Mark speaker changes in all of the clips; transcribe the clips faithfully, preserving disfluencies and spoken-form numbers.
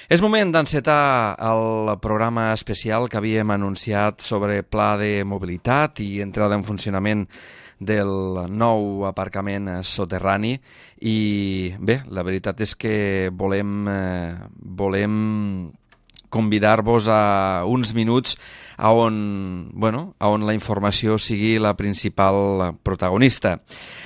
Speaker 1: És moment d'encetar el programa especial que havíem anunciat sobre pla de mobilitat i entrada en funcionament del nou aparcament soterrani i bé, la veritat és que volem, eh, volem convidar-vos a uns minuts a on, bueno, a on la informació sigui la principal protagonista.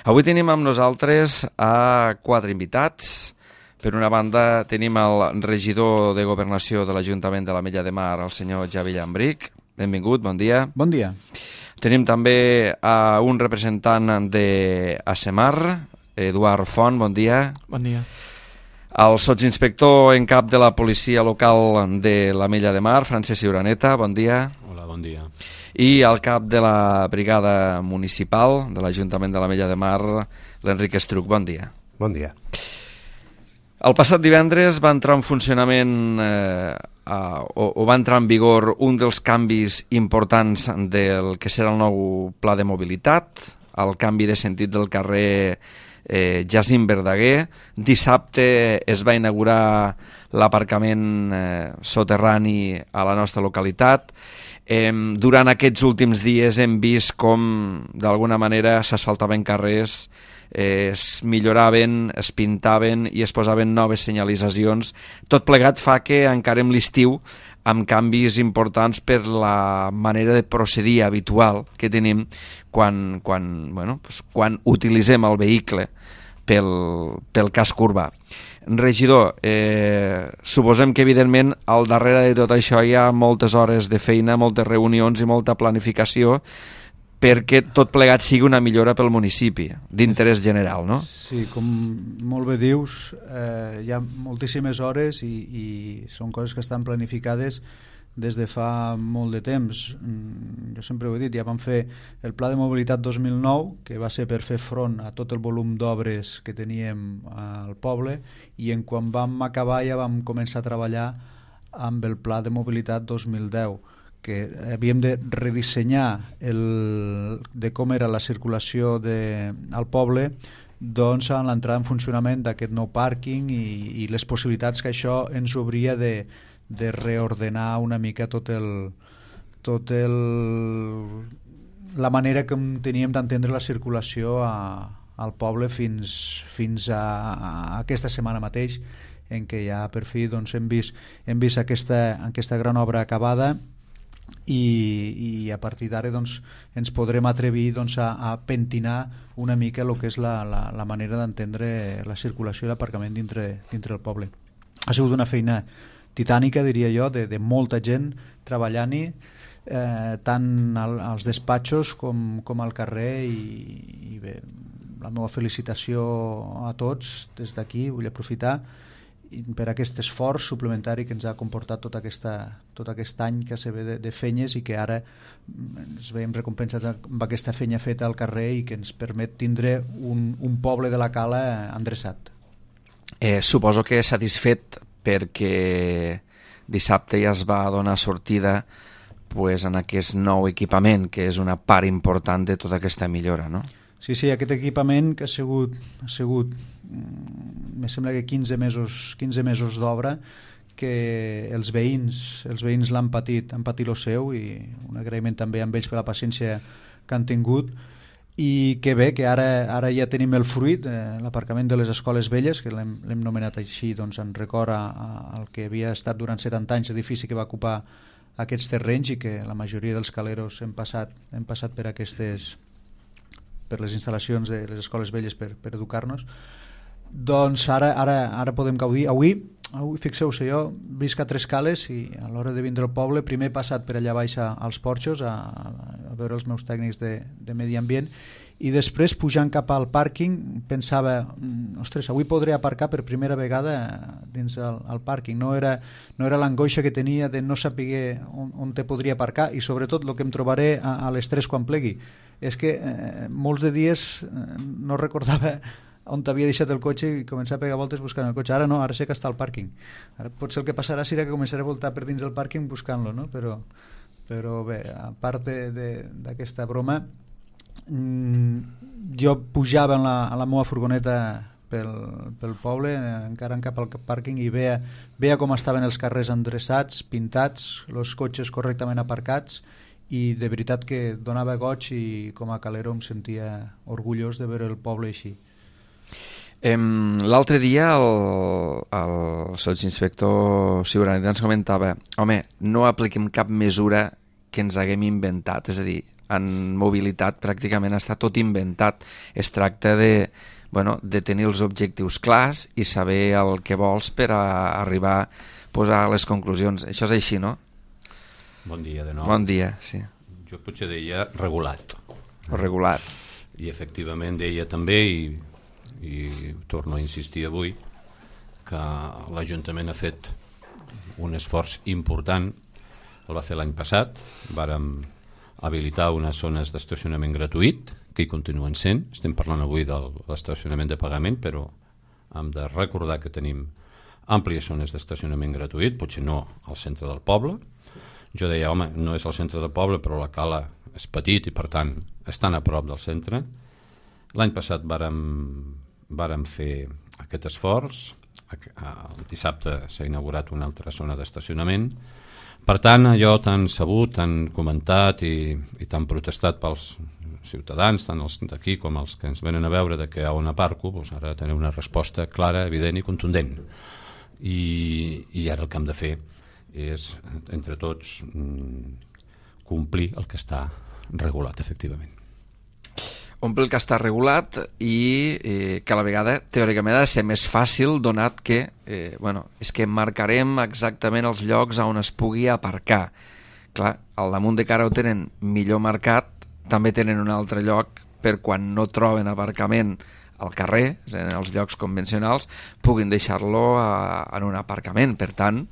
Speaker 1: Avui tenim amb nosaltres a quatre invitats. Per una banda tenim el regidor de Governació de l'Ajuntament de l'Ametlla de Mar, el senyor Javi Llambric. Benvingut, bon dia.
Speaker 2: Bon dia.
Speaker 1: Tenim també a un representant d'ASEMAR, Eduard Font, bon dia.
Speaker 3: Bon dia.
Speaker 1: El sotsinspector en cap de la policia local de l'Ametlla de Mar, Francesc Ciuraneta, bon dia.
Speaker 3: Hola, bon dia.
Speaker 1: I el cap de la brigada municipal de l'Ajuntament de l'Ametlla de Mar, l'Enric Estruc, bon dia.
Speaker 4: Bon dia.
Speaker 1: El passat divendres va entrar en funcionament eh, a, o, o va entrar en vigor un dels canvis importants del que serà el nou pla de mobilitat, el canvi de sentit del carrer eh, Jacint Verdaguer. Dissabte es va inaugurar l'aparcament eh, soterrani a la nostra localitat. Eh, durant aquests últims dies hem vist com d'alguna manera s'asfaltaven carrers, Eh, es milloraven, es pintaven i es posaven noves senyalitzacions. Tot plegat fa que encarem l'estiu amb canvis importants per la manera de procedir habitual que tenim quan, quan, bueno, pues, quan utilitzem el vehicle pel, pel casc urbà. Regidor, eh, suposem que evidentment al darrere de tot això hi ha moltes hores de feina, moltes reunions i molta planificació perquè tot plegat sigui una millora pel municipi, d'interès general, no?
Speaker 2: Sí, com molt bé dius, eh, hi ha moltíssimes hores i, i són coses que estan planificades des de fa molt de temps. Jo sempre ho he dit, ja vam fer el Pla de Mobilitat dos mil nou, que va ser per fer front a tot el volum d'obres que teníem al poble, i en quan vam acabar ja vam començar a treballar amb el Pla de Mobilitat dos mil deu, que havíem de redissenyar el, de com era la circulació de, al poble, doncs en l'entrada en funcionament d'aquest nou pàrquing i, i les possibilitats que això ens obria de, de reordenar una mica tot el, tot el, la manera que teníem d'entendre la circulació a, al poble fins, fins a, a aquesta setmana mateix, en què ja per fi doncs, hem vist, hem vist aquesta, aquesta gran obra acabada. I, i a partir d'ara doncs, ens podrem atrevir doncs, a, a pentinar una mica el que és la, la, la manera d'entendre la circulació i l'aparcament dintre, dintre el poble. Ha sigut una feina titànica, diria jo, de, de molta gent treballant-hi, eh, tant al, als despatxos com, com al carrer, i, i bé, la meva felicitació a tots des d'aquí. Vull aprofitar per aquest esforç suplementari que ens ha comportat tot, aquesta, tot aquest any que se ve de, de feines i que ara ens veiem recompensats amb aquesta feina feta al carrer i que ens permet tindre un, un poble de la Cala endreçat.
Speaker 1: Eh, suposo que satisfet perquè dissabte ja es va donar sortida pues, en aquest nou equipament, que és una part important de tota aquesta millora, no?
Speaker 2: Sí, sí, aquest equipament que ha sigut, ha sigut me sembla que quinze mesos, quinze mesos d'obra, que els veïns els veïns l'han patit, han patit el seu, i un agraïment també amb ells per la paciència que han tingut, i que bé, que ara, ara ja tenim el fruit, eh, l'aparcament de les escoles velles, que l'hem, l'hem nomenat així doncs, en record al que havia estat durant setanta anys l'edifici que va ocupar aquests terrenys, i que la majoria dels caleros hem passat, hem passat per aquestes per les instal·lacions de les escoles velles per, per educar-nos. Doncs ara, ara, ara podem gaudir. Avui, avui fixeu-se, jo visc a Tres Cales i a l'hora de vindre al poble primer he passat per allà baix als porxos a, a veure els meus tècnics de, de medi ambient, i després pujant cap al pàrquing pensava, ostres, avui podré aparcar per primera vegada dins el, el pàrquing. No era, no era l'angoixa que tenia de no saber on, on te podria aparcar, i sobretot el que em trobaré a, a les tres quan plegui és que eh, molts de dies eh, no recordava on t'havia deixat el cotxe i començar a pegar voltes buscant el cotxe. Ara no, ara sé que està al pàrquing. Ara potser el que passarà serà que començaré a voltar per dins del pàrquing buscant-lo, no? Però, però bé, a part d'aquesta broma, mmm, jo pujava en la, a la meva furgoneta pel, pel poble, encara en cap al pàrquing, i veia, veia com estaven els carrers endreçats, pintats, els cotxes correctament aparcats, i de veritat que donava goig, i com a calero em sentia orgullós de veure el poble així.
Speaker 1: L'altre dia el, el sotsinspector Ciurani ens comentava: home, no apliquem cap mesura que ens haguem inventat, és a dir, en mobilitat pràcticament està tot inventat. Es tracta de, bueno, de tenir els objectius clars i saber el que vols per a arribar a posar les conclusions. Això és així, no?
Speaker 3: Bon dia de nou.
Speaker 1: Bon dia, sí.
Speaker 3: Jo potser deia regulat.
Speaker 1: O regular.
Speaker 3: I efectivament deia també, i, i torno a insistir avui, que l'Ajuntament ha fet un esforç important. El va fer l'any passat, vàrem habilitar unes zones d'estacionament gratuït, que hi continuen sent. Estem parlant avui de l'estacionament de pagament, però hem de recordar que tenim àmplies zones d'estacionament gratuït, potser no al centre del poble. Jo deia, home, no és al centre del poble, però la cala és petit i per tant estan a prop del centre. L'any passat vàrem, vàrem fer aquest esforç. El dissabte s'ha inaugurat una altra zona d'estacionament. Per tant, allò tan sabut, tan comentat i, i tan protestat pels ciutadans, tant els d'aquí com els que ens venen a veure, de que a on aparco, doncs ara tenim una resposta clara, evident i contundent. I, i ara el que hem de fer és, entre tots, complir el que està regulat, efectivament.
Speaker 1: Omple el que està regulat i eh, que a la vegada teòricament ha de ser més fàcil, donat que eh, bueno, és que marcarem exactament els llocs on es pugui aparcar. Clar, al damunt de cara ho tenen millor marcat, també tenen un altre lloc per quan no troben aparcament al carrer, en els llocs convencionals, puguin deixar-lo en un aparcament. Per tant,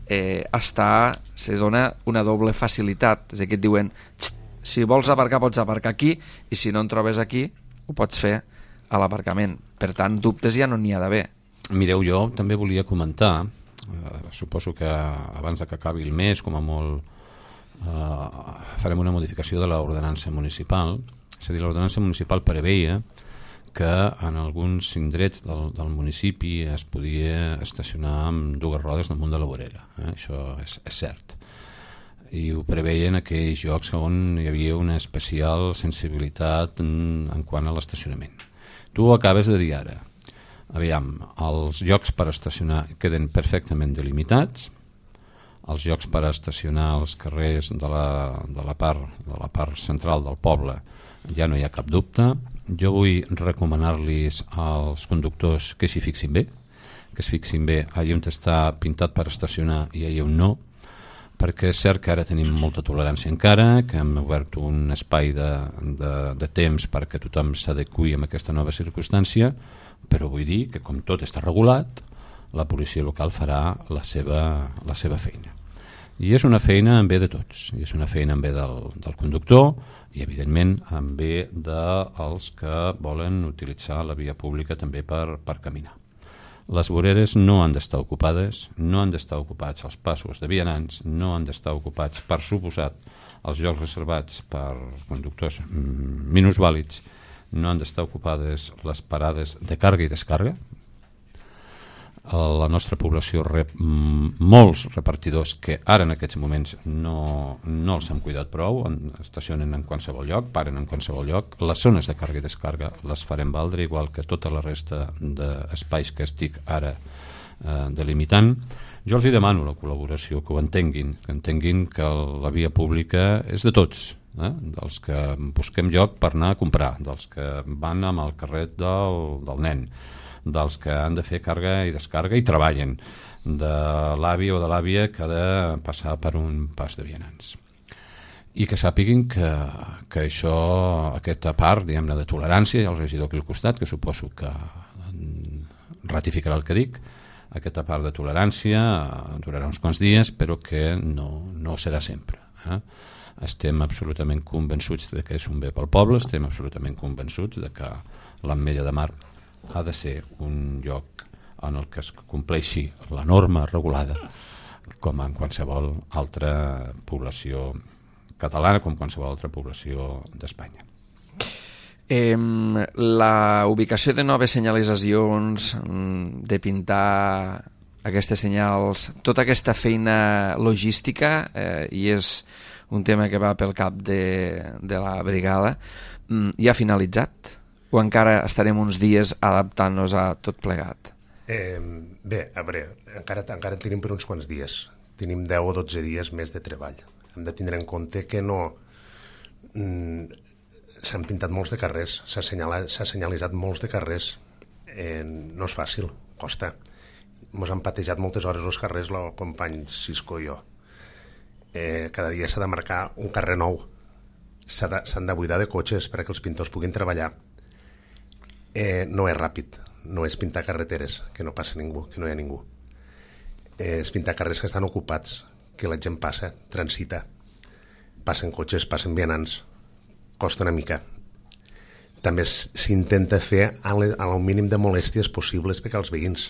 Speaker 1: eh, està, se dona una doble facilitat. És a dir, que et diuen: si vols aparcar, pots aparcar aquí, i si no en trobes aquí, ho pots fer a l'aparcament. Per tant, dubtes ja no n'hi ha d'haver.
Speaker 3: Mireu, jo també volia comentar, eh, suposo que abans que acabi el mes, com a molt, eh, farem una modificació de l'ordenança municipal. És a dir, l'ordenança municipal preveia que en alguns indrets del, del municipi es podia estacionar amb dues rodes damunt de la vorera. Eh? Això és, és cert. I ho preveien aquells llocs on hi havia una especial sensibilitat en, en quant a l'estacionament. Tu ho acabes de dir ara. Aviam, els llocs per estacionar queden perfectament delimitats, els llocs per estacionar als carrers de la, de la, part, de la part central del poble ja no hi ha cap dubte. Jo vull recomanar-los als conductors que s'hi fixin bé, que es fixin bé allà on està pintat per estacionar i allà on no, perquè és cert que ara tenim molta tolerància encara, que hem obert un espai de, de, de temps perquè tothom s'adequi a aquesta nova circumstància, però vull dir que com tot està regulat, la policia local farà la seva, la seva feina. I és una feina en bé de tots, i és una feina en bé del, del conductor i evidentment en bé dels que volen utilitzar la via pública també per, per caminar. Les voreres no han d'estar ocupades, no han d'estar ocupats els passos de vianants, no han d'estar ocupats, per suposat, els llocs reservats per conductors minusvàlids, no han d'estar ocupades les parades de càrrega i descàrrega. La nostra població rep molts repartidors que ara en aquests moments no, no els hem cuidat prou, estacionen en qualsevol lloc, paren en qualsevol lloc. Les zones de càrrega i descàrrega les farem valdre, igual que tota la resta d'espais que estic ara eh, delimitant. Jo els hi demano la col·laboració, que ho entenguin, que entenguin que la via pública és de tots, eh? Dels que busquem lloc per anar a comprar, dels que van amb el carret del, del nen, dels que han de fer càrrega i descàrrega i treballen, de l'avi o de l'àvia que ha de passar per un pas de vianants. I que sàpiguin que, que això, aquesta part, diguem-ne, de tolerància, i el regidor aquí al costat, que suposo que ratificarà el que dic, aquesta part de tolerància durarà uns quants dies, però que no, no serà sempre. Eh? Estem absolutament convençuts de que és un bé pel poble, estem absolutament convençuts de que l'Ametlla de Mar ha de ser un lloc en el que es compleixi la norma regulada, com en qualsevol altra població catalana, com qualsevol altra població d'Espanya.
Speaker 1: Eh, la ubicació de noves senyalitzacions, de pintar aquestes senyals, tota aquesta feina logística, eh, i és un tema que va pel cap de, de la brigada, ja ha finalitzat? O encara estarem uns dies adaptant-nos a tot plegat?
Speaker 4: Eh, bé, a veure, encara, encara tenim per uns quants dies. Tenim deu o dotze dies més de treball. Hem de tindre en compte que no... Mm, s'han pintat molts de carrers, s'ha senyalitzat molts de carrers. Eh, no és fàcil, costa. Ens han patejat moltes hores els carrers, el company Cisco i jo. Eh, cada dia s'ha de marcar un carrer nou. S'han de, s'han de buidar de cotxes perquè els pintors puguin treballar. Eh, no és ràpid, no és pintar carreteres, que no passa ningú, que no hi ha ningú. Eh, és pintar carrers que estan ocupats, que la gent passa, transita, passen cotxes, passen vianants, costa una mica. També s'intenta fer al mínim de molèsties possibles perquè als veïns.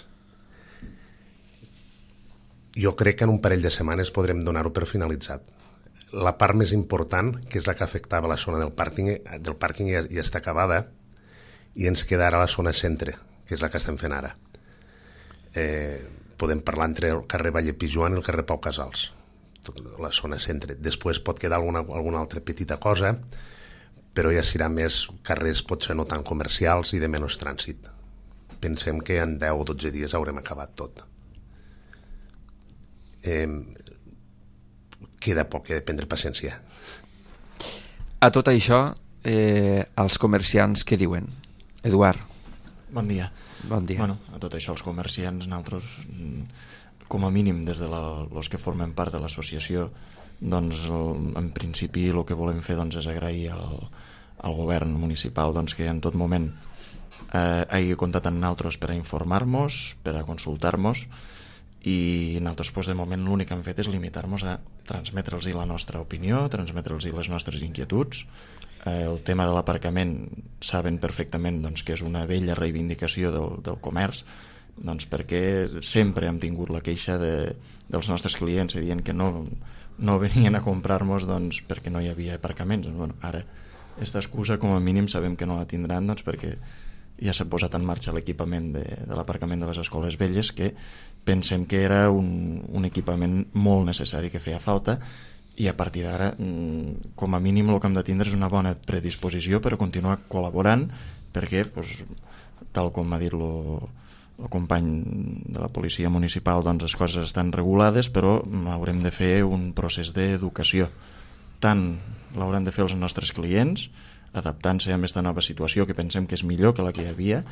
Speaker 4: Jo crec que en un parell de setmanes podrem donar-ho per finalitzat. La part més important, que és la que afectava la zona del pàrquing, del pàrquing ja, ja està acabada, i ens queda ara la zona centre, que és la que estem fent ara. Eh, podem parlar entre el carrer Valle Pijuan i el carrer Pau Casals, tot la zona centre. Després pot quedar alguna, alguna altra petita cosa, però ja serà més carrers potser no tan comercials i de menys trànsit. Pensem que en deu o dotze dies haurem acabat tot. Eh, queda poc, he de prendre paciència.
Speaker 1: A tot això, eh, els comerciants què diuen? Eduard.
Speaker 5: Bon dia.
Speaker 1: Bon dia.
Speaker 5: Bueno, a tot això els comerciants, nosaltres, com a mínim des de la, els que formen part de l'associació, doncs en principi el que volem fer doncs, és agrair al, al govern municipal doncs, que en tot moment eh, hagi comptat amb nosaltres per a informar-nos, per a consultar-nos, i nosaltres pues, de moment l'únic que hem fet és limitar-nos a transmetre'ls la nostra opinió, transmetre'ls les nostres inquietuds. Eh, el tema de l'aparcament saben perfectament doncs, que és una vella reivindicació del, del comerç, doncs, perquè sempre hem tingut la queixa de, dels nostres clients dient que no, no venien a comprar-nos doncs, perquè no hi havia aparcaments. Bueno, ara, aquesta excusa com a mínim sabem que no la tindran doncs, perquè ja s'ha posat en marxa l'equipament de, de l'aparcament de les escoles velles, que pensem que era un, un equipament molt necessari, que feia falta, i a partir d'ara, com a mínim el que hem de tindre és una bona predisposició per a continuar col·laborant, perquè, doncs, tal com ha dit el, el company de la policia municipal, doncs les coses estan regulades, però haurem de fer un procés d'educació. Tant l'haurem de fer els nostres clients, adaptant-se a aquesta nova situació que pensem que és millor que la que hi havia,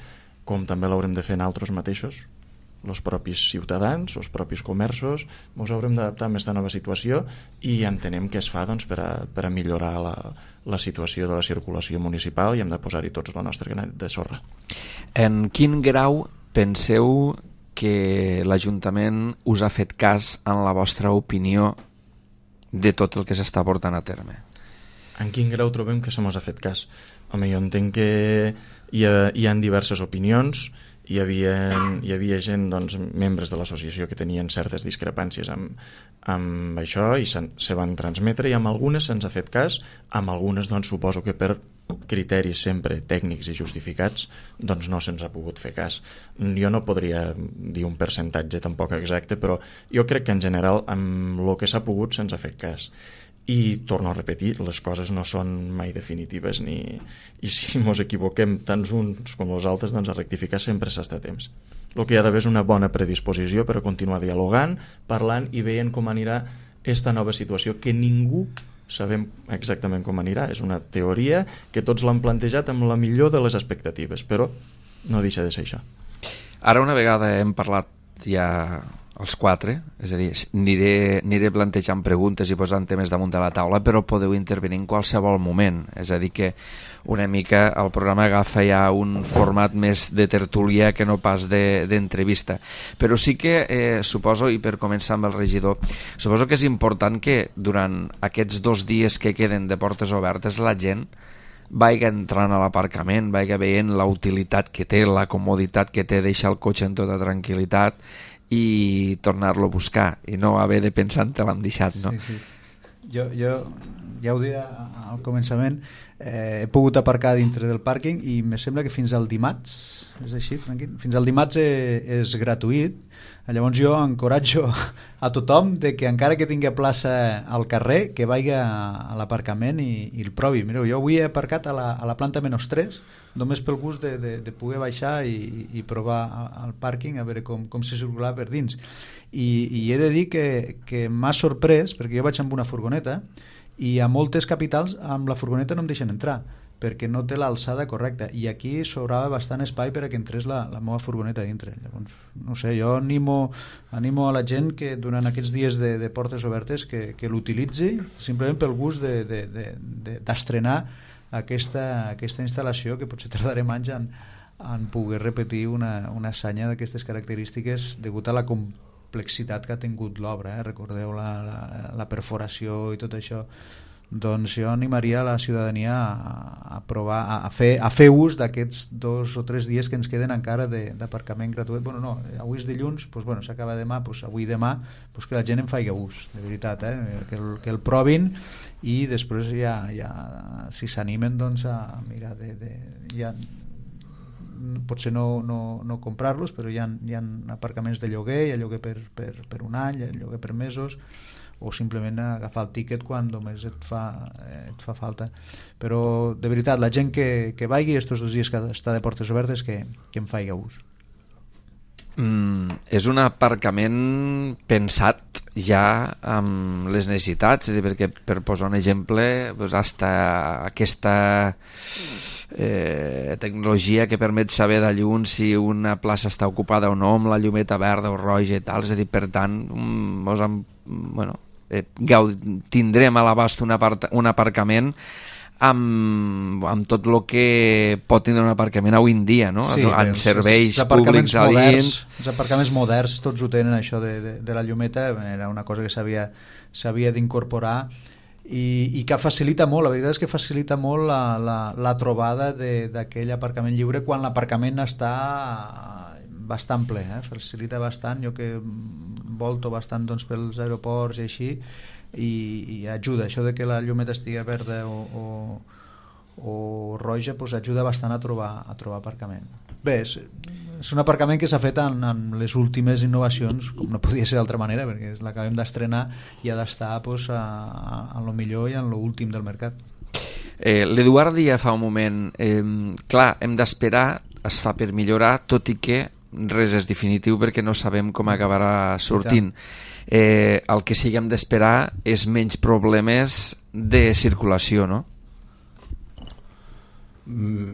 Speaker 5: com també l'haurem de fer nosaltres mateixos, els propis ciutadans, els propis comerços. Ens haurem d'adaptar a aquesta nova situació i entenem que es fa doncs, per, a, per a millorar la, la situació de la circulació municipal, i hem de posar-hi tots la nostra granet de sorra.
Speaker 1: En quin grau penseu que l'Ajuntament us ha fet cas en la vostra opinió de tot el que s'està portant a terme?
Speaker 5: En quin grau trobem que se mos ha fet cas? Home, jo entenc que hi ha, hi ha diverses opinions. Hi havia, hi havia gent, doncs, membres de l'associació que tenien certes discrepàncies amb, amb això i se, se van transmetre, i amb algunes se'ns ha fet cas, amb algunes doncs, suposo que per criteris sempre tècnics i justificats doncs no se'ns ha pogut fer cas. Jo no podria dir un percentatge tampoc exacte, però jo crec que en general amb el que s'ha pogut se'ns ha fet cas. I torno a repetir, les coses no són mai definitives, ni... i si ens equivoquem tant uns com els altres, doncs a rectificar sempre s'està a temps. El que hi ha d'haver és una bona predisposició per a continuar dialogant, parlant i veient com anirà aquesta nova situació, que ningú sabem exactament com anirà. És una teoria que tots l'han plantejat amb la millor de les expectatives, però no deixa de ser això.
Speaker 1: Ara, una vegada hem parlat ja els quatre, és a dir, aniré, aniré plantejant preguntes i posant temes damunt de la taula, però podeu intervenir en qualsevol moment. És a dir, que una mica el programa agafa ja un format més de tertúlia que no pas d'entrevista. Però sí que, eh, suposo, i per començar amb el regidor, suposo que és important que durant aquests dos dies que queden de portes obertes la gent vagi entrant a l'aparcament, vagi veient la utilitat que té, la comoditat que té deixar el cotxe en tota tranquil·litat i tornar-lo a buscar i no haver de pensar en te l'hem deixat, no?
Speaker 2: Sí, sí. Jo, jo ja ho deia al començament, eh, he pogut aparcar dintre del pàrquing i me sembla que fins al dimarts, és així, Franqui? Fins al dimarts eh, és gratuït. Llavors jo encoratjo a tothom de que encara que tingui plaça al carrer, que vagi a l'aparcament i, i el provi. Mireu, jo avui he aparcat a la, a la planta menys tres, només pel gust de, de, de poder baixar i, i provar el pàrquing, a veure com, com se circular per dins. I, i he de dir que, que m'ha sorprès, perquè jo vaig amb una furgoneta i a moltes capitals amb la furgoneta no em deixen entrar perquè no té l'alçada correcta, i aquí sobrava bastant espai per a que entrés la, la meva furgoneta dintre. Llavors, no sé, jo animo, animo a la gent que durant aquests dies de, de portes obertes que, que l'utilitzi simplement pel gust de, de, de, de, d'estrenar aquesta, aquesta instal·lació, que potser tardarem anys en, en poder repetir una, una hassanya d'aquestes característiques degut a la complexitat que ha tingut l'obra, eh? Recordeu la, la, la perforació i tot això. Doncs jo animaria la ciutadania a, a provar, a, a, fer, a fer ús d'aquests dos o tres dies que ens queden encara d'aparcament gratuït. Bueno, no, avui és dilluns, doncs, bueno, s'acaba demà, doncs, avui demà doncs que la gent en faci ús, de veritat, eh? que, el, que el provin i després ja, ja si s'animen doncs a mirar de, de ja, potser no, no, no comprar-los, però hi ha, hi ha aparcaments de lloguer, hi ha lloguer per, per, per un any, hi ha lloguer per mesos, o simplement agafar el tíquet quan només et fa, eh, et fa falta. Però de veritat, la gent que, que vagi estos dos dies que està de portes obertes que, que en faci ús.
Speaker 1: Mm, és un aparcament pensat ja amb les necessitats, és a dir, perquè per posar un exemple, doncs hasta aquesta eh, tecnologia que permet saber de lluny si una plaça està ocupada o no, amb la llumeta verda o roja i tal, és a dir, per tant, mos han, bueno, eh, tindrem a l'abast un, un aparcament amb, amb tot el que pot tindre un aparcament avui en dia, no?
Speaker 2: Sí,
Speaker 1: en
Speaker 2: els,
Speaker 1: serveis
Speaker 2: els
Speaker 1: públics a dins.
Speaker 2: Els aparcaments moderns tots ho tenen, això de, de, de la llumeta, era una cosa que s'havia s'havia d'incorporar i, i que facilita molt, la veritat és que facilita molt la, la, la trobada d'aquell aparcament lliure quan l'aparcament està bastant ple, eh? Facilita bastant, jo que volto bastant doncs, pels aeroports i així, i, i ajuda, això de que la llumeta estigui verda o, o, o roja doncs ajuda bastant a trobar, a trobar aparcament. Bé, és, és un aparcament que s'ha fet en, en les últimes innovacions, com no podia ser d'altra manera, perquè l'acabem d'estrenar i ha d'estar doncs, a, a, a lo millor i en lo últim del mercat.
Speaker 1: Eh, L'Eduard deia fa un moment, eh, clar, hem d'esperar, es fa per millorar, tot i que res és definitiu perquè no sabem com acabarà sortint. Eh, el que sí que hem d'esperar és menys problemes de circulació, no?
Speaker 3: Mm,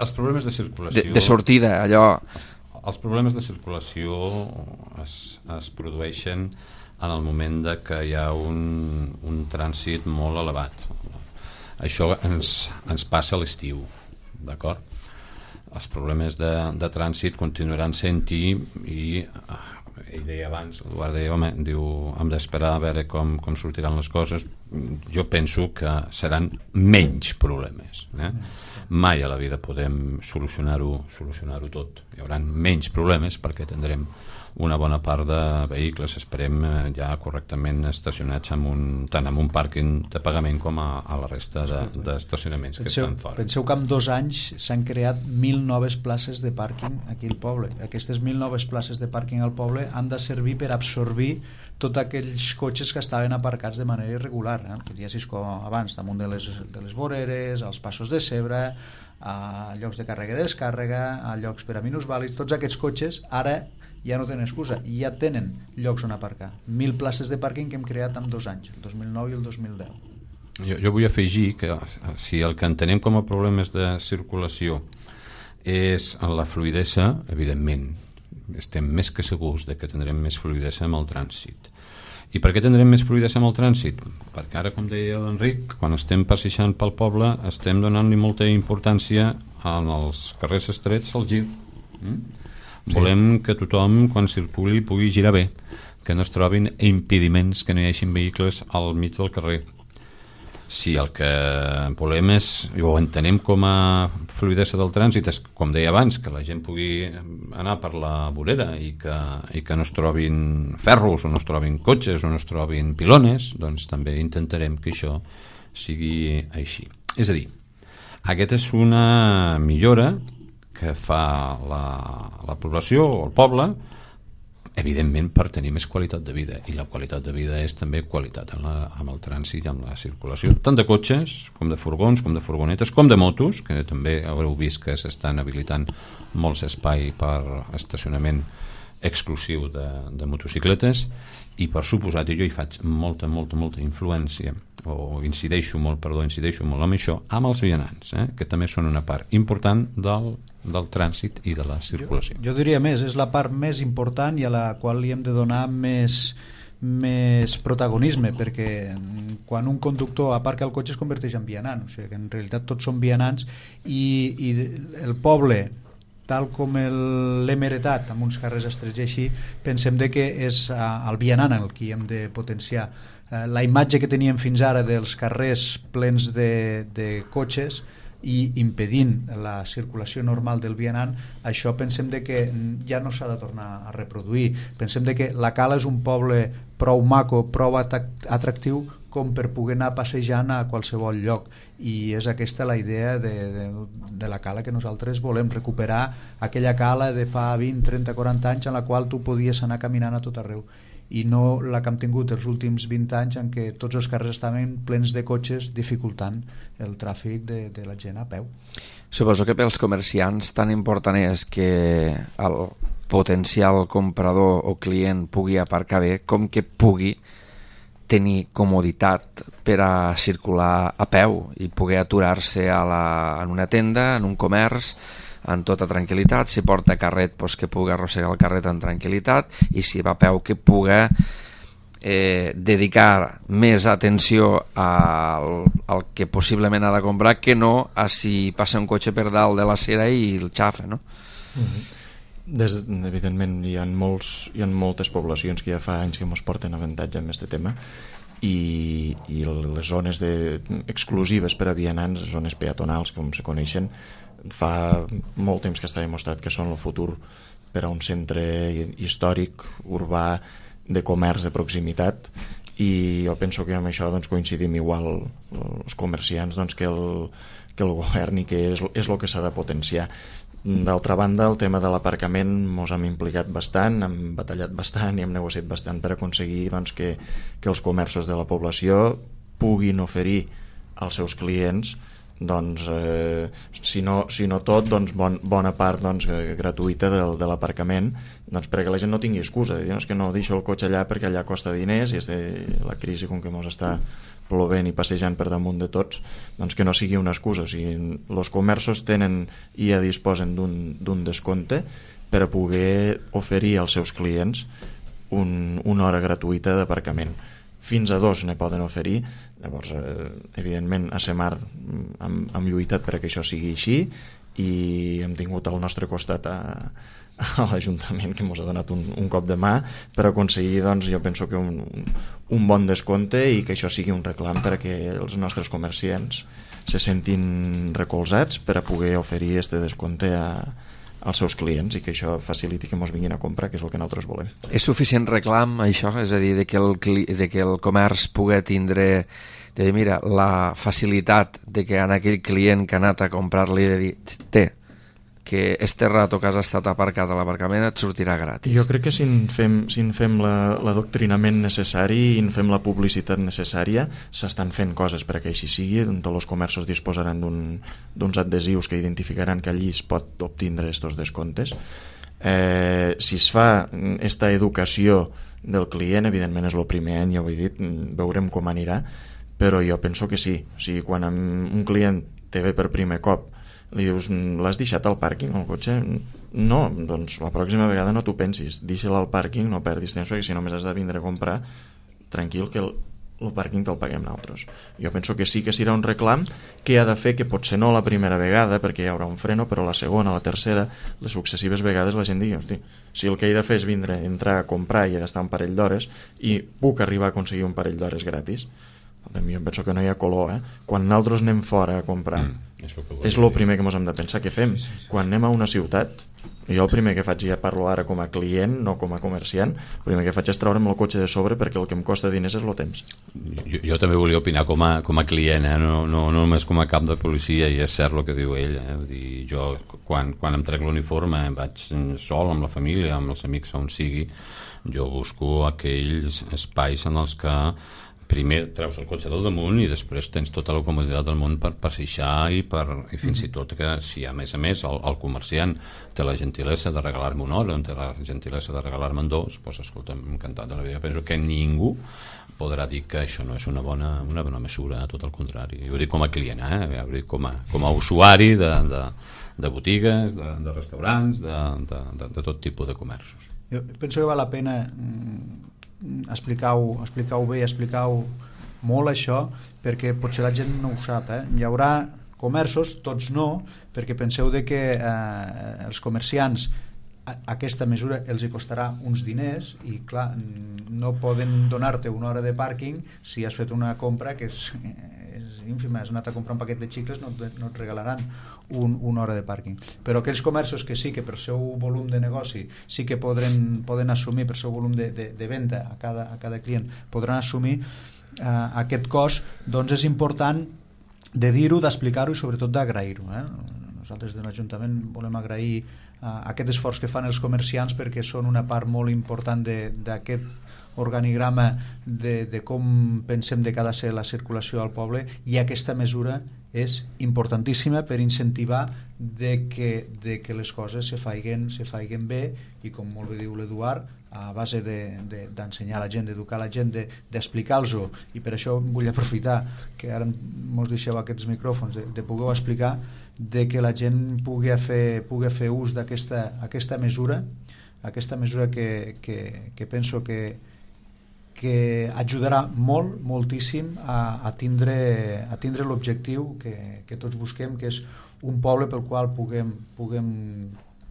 Speaker 3: els problemes de circulació...
Speaker 1: De, de sortida, allò...
Speaker 3: Els, els problemes de circulació es, es produeixen en el moment de que hi ha un, un trànsit molt elevat. Això ens, ens passa a l'estiu, d'acord? Els problemes de, de trànsit continuaran sent-hi i ell deia abans, l'Eduard deia, home, diu, hem d'esperar a veure com, com sortiran les coses. Jo penso que seran menys problemes, eh? Mai a la vida podem solucionar-ho solucionar-ho tot. Hi haurà menys problemes perquè tindrem una bona part de vehicles, esperem, ja correctament estacionats en un, tant en un pàrquing de pagament com a, a la resta d'estacionaments de, que estan fora.
Speaker 2: Penseu que en dos anys s'han creat mil noves places de pàrquing aquí al poble. Aquestes mil noves places de pàrquing al poble han de servir per absorbir tots aquells cotxes que estaven aparcats de manera irregular, eh? Que ja com abans, damunt de les, de les voreres, als passos de zebra, a llocs de càrrega i descàrrega, a llocs per a minusvàlids. Tots aquests cotxes ara ja no tenen excusa, ja tenen llocs on aparcar. Mil places de pàrquing que hem creat en dos anys, el dos mil nou i el dos mil deu.
Speaker 3: Jo, jo vull afegir que si el que entenem com a problemes de circulació és en la fluïdesa, evidentment estem més que segurs de que tindrem més fluïdesa amb el trànsit. I per què tindrem més fluïdesa amb el trànsit? Perquè ara, com deia l'Enric, quan estem passejant pel poble estem donant-li molta importància en els carrers estrets al gir. Mm? Sí. Volem que tothom, quan circuli, pugui girar bé, que no es trobin impediments, que no hi hagi vehicles al mig del carrer. Si el que volem és, o entenem com a fluïdesa del trànsit, és, com deia abans, que la gent pugui anar per la vorera i que, i que no es trobin ferros, o no es trobin cotxes, o no es trobin pilones, doncs també intentarem que això sigui així. És a dir, aquesta és una millora que fa la, la població o el poble, evidentment per tenir més qualitat de vida, i la qualitat de vida és també qualitat en, la, en el trànsit i en la circulació, tant de cotxes com de furgons, com de furgonetes, com de motos, que també haureu vist que s'estan habilitant molts espai per estacionament exclusiu de, de motocicletes, i per suposat, jo hi faig molta, molta, molta influència, o incideixo molt, perdó, incideixo molt amb això, amb els vianants, eh? que també són una part important del, del trànsit i de la circulació.
Speaker 2: Jo, jo diria més, és la part més important i a la qual li hem de donar més, més protagonisme, perquè quan un conductor aparca el cotxe es converteix en vianant, o sigui que en realitat tots són vianants, i, i el poble, tal com l'hem heretat amb uns carrers estrets i així, pensem de que és el vianant el que hem de potenciar. La imatge que teníem fins ara dels carrers plens de, de cotxes i impedint la circulació normal del vianant, això pensem de que ja no s'ha de tornar a reproduir. Pensem de que la Cala és un poble prou maco, prou atractiu com per poder anar passejant a qualsevol lloc, i és aquesta la idea de, de, de la Cala que nosaltres volem recuperar, aquella Cala de fa vint, trenta, quaranta anys en la qual tu podies anar caminant a tot arreu, i no la que hem tingut els últims vint anys en què tots els carrers estaven plens de cotxes dificultant el tràfic de, de la gent a peu.
Speaker 1: Suposo que pels comerciants tan important és que el potencial comprador o client pugui aparcar bé com que pugui tenir comoditat per a circular a peu i poder aturar-se a la, en una tenda, en un comerç, en tota tranquil·litat. Si porta carret, doncs que pugui arrossegar el carret en tranquil·litat, i si va a peu que pugui eh, dedicar més atenció al, al que possiblement ha de comprar, que no a si passa un cotxe per dalt de l'acera i el xafa, no?
Speaker 5: Mm-hmm. Des, evidentment hi ha, molts, hi ha moltes poblacions que ja fa anys que ens porten avantatge amb aquest tema, i, i les zones de, exclusives per a vianants, zones peatonals com se coneixen, fa molt temps que està demostrat que són el futur per a un centre històric, urbà, de comerç de proximitat, i jo penso que amb això doncs, coincidim igual els comerciants doncs, que, el, que el govern, i que és, és el que s'ha de potenciar. D'altra banda, el tema de l'aparcament ens hem implicat bastant, hem batallat bastant i hem negociat bastant per aconseguir doncs, que, que els comerços de la població puguin oferir als seus clients doncs, eh, si, no, si no tot, doncs bon, bona part doncs, gratuïta de, de l'aparcament, doncs, perquè la gent no tingui excusa de dir, no, és que no deixo el cotxe allà perquè allà costa diners, i és de la crisi com que ens està plovent i passejant per damunt de tots, doncs que no sigui una excusa. O sigui, els comerços tenen i ja disposen d'un descompte per a poder oferir als seus clients un, una hora gratuïta d'aparcament. Fins a dos ne poden oferir. Llavors, eh, evidentment, a Semar hem, hem lluitat perquè això sigui així, i hem tingut al nostre costat a, a l'Ajuntament, que ens ha donat un, un cop de mà per aconseguir, doncs, jo penso que un, un bon descompte, i que això sigui un reclam per a que els nostres comerciants se sentin recolzats per a poder oferir este descompte a, als seus clients, i que això faciliti que ens vinguin a comprar, que és el que nosaltres volem.
Speaker 1: És suficient reclam, això? És a dir, de que el, de que el comerç pugui tindre, de dir, mira, la facilitat de que en aquell client que ha anat a comprar-li de dir, té, que este rato que has estat aparcat a l'aparcament et sortirà gratis.
Speaker 5: Jo crec que si en fem, si en fem l'adoctrinament necessari i en fem la publicitat necessària, s'estan fent coses perquè així sigui. Tots els comerços disposaran d'uns un, adhesius que identificaran que allí es pot obtindre estos descomptes. Eh, si es fa esta educació del client, evidentment és el primer any, ja ho he dit, veurem com anirà, però jo penso que sí. O sigui, quan un client te ve per primer cop, li dius, l'has deixat al pàrquing el cotxe? No, doncs la pròxima vegada no t'ho pensis, deixa-la al pàrquing, no perdis temps, perquè si només has de vindre a comprar, tranquil, que el, el pàrquing te'l paguem nosaltres. Jo penso que sí que serà un reclam que ha de fer que potser no la primera vegada, perquè hi haurà un freno, però la segona, la tercera, les successives vegades la gent digui, hosti, si el que he de fer és vindre, entrar a comprar i he d'estar un parell d'hores i puc arribar a aconseguir un parell d'hores gratis, jo em penso que no hi ha color, eh? Quan nosaltres anem fora a comprar,
Speaker 3: mm,
Speaker 5: és el primer que ens hem de pensar què fem. Quan anem a una ciutat, jo el primer que faig, ja parlo ara com a client, no com a comerciant, el primer que faig és treure'm el cotxe de sobre, perquè el que em costa diners és el temps.
Speaker 3: Jo, jo també volia opinar com a, com a client, eh? no, no, no només com a cap de policia, i és cert el que diu ell. Eh? Vull dir, jo, quan, quan em trec l'uniforme, vaig sol, amb la família, amb els amics, on sigui, jo busco aquells espais en els que primer treus el cotxe del damunt i després tens tota la comoditat del món per passeixar i, per, i fins i tot que si a més a més el, el comerciant té la gentilesa de regalar-me una hora, té la gentilesa de regalar-me'n dos, doncs escolta, encantat de la vida. Penso que ningú podrà dir que això no és una bona, una bona mesura, tot el contrari. Jo ho dic com a client, eh? Ho dic com a, com a usuari de, de, de botigues, de, de restaurants, de, de, de, de tot tipus de comerços.
Speaker 2: Jo penso que val la pena explicar-ho explicar bé, explicar-ho molt això, perquè potser la gent no ho sap. Eh? Hi haurà comerços, tots no, perquè penseu de que eh, els comerciants a, aquesta mesura els hi costarà uns diners i clar, no poden donar-te una hora de pàrquing si has fet una compra que és, és ínfima, has anat a comprar un paquet de xicles, no, no et regalaran un, una hora de pàrquing. Però aquells comerços que sí que per seu volum de negoci sí que podran, poden assumir per seu volum de, de, de venda a cada, a cada client, podran assumir eh, aquest cost, doncs és important de dir-ho, d'explicar-ho i sobretot d'agrair-ho. Eh? Nosaltres de l'Ajuntament volem agrair eh, aquest esforç que fan els comerciants perquè són una part molt important d'aquest organigrama de, de com pensem de que ha de ser la circulació al poble, i aquesta mesura és importantíssima per incentivar de que, de que les coses se faiguen, se faiguen bé, i com molt bé diu l'Eduard, a base d'ensenyar de, de, a la gent, d'educar la gent, d'explicar-los-ho, i per això vull aprofitar que ara mos deixeu aquests micròfons, de, de poder explicar, de que la gent pugui fer, pugui fer ús d'aquesta aquesta mesura, aquesta mesura que, que, que penso que que ajudarà molt, moltíssim a, a tindre, a tindre l'objectiu que, que tots busquem, que és un poble pel qual puguem, puguem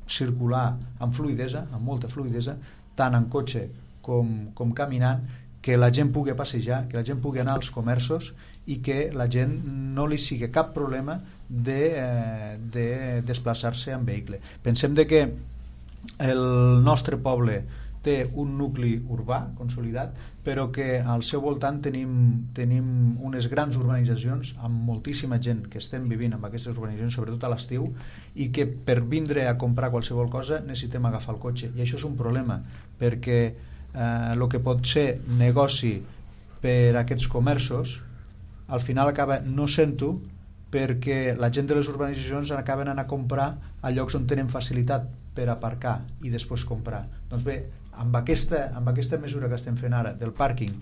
Speaker 2: circular amb fluidesa, amb molta fluidesa, tant en cotxe com, com caminant, que la gent pugui passejar, que la gent pugui anar als comerços i que la gent no li sigui cap problema de, eh, de desplaçar-se en vehicle. Pensem de que el nostre poble té un nucli urbà consolidat, però que al seu voltant tenim, tenim unes grans urbanitzacions amb moltíssima gent que estem vivint en aquestes urbanitzacions, sobretot a l'estiu, i que per vindre a comprar qualsevol cosa necessitem agafar el cotxe, i això és un problema, perquè el eh, que pot ser negoci per a aquests comerços al final acaba no sent-ho, perquè la gent de les urbanitzacions acaben anant a comprar a llocs on tenen facilitat per aparcar i després comprar. Doncs bé, amb aquesta, amb aquesta mesura que estem fent ara del pàrquing,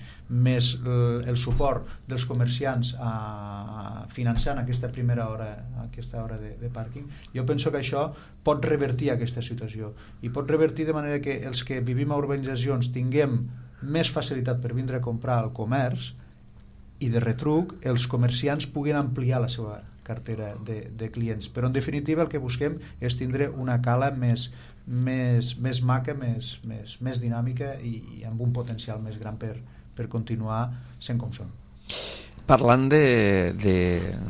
Speaker 2: més el, el suport dels comerciants a, a finançant aquesta primera hora, aquesta hora de, de pàrquing, jo penso que això pot revertir aquesta situació, i pot revertir de manera que els que vivim a urbanitzacions tinguem més facilitat per vindre a comprar al comerç, i de retruc els comerciants puguin ampliar la seva cartera de, de clients. Però en definitiva el que busquem és tindre una cala més, més, més maca, més, més, més dinàmica i, i amb un potencial més gran per, per continuar sent com som.
Speaker 1: Parlant de, de,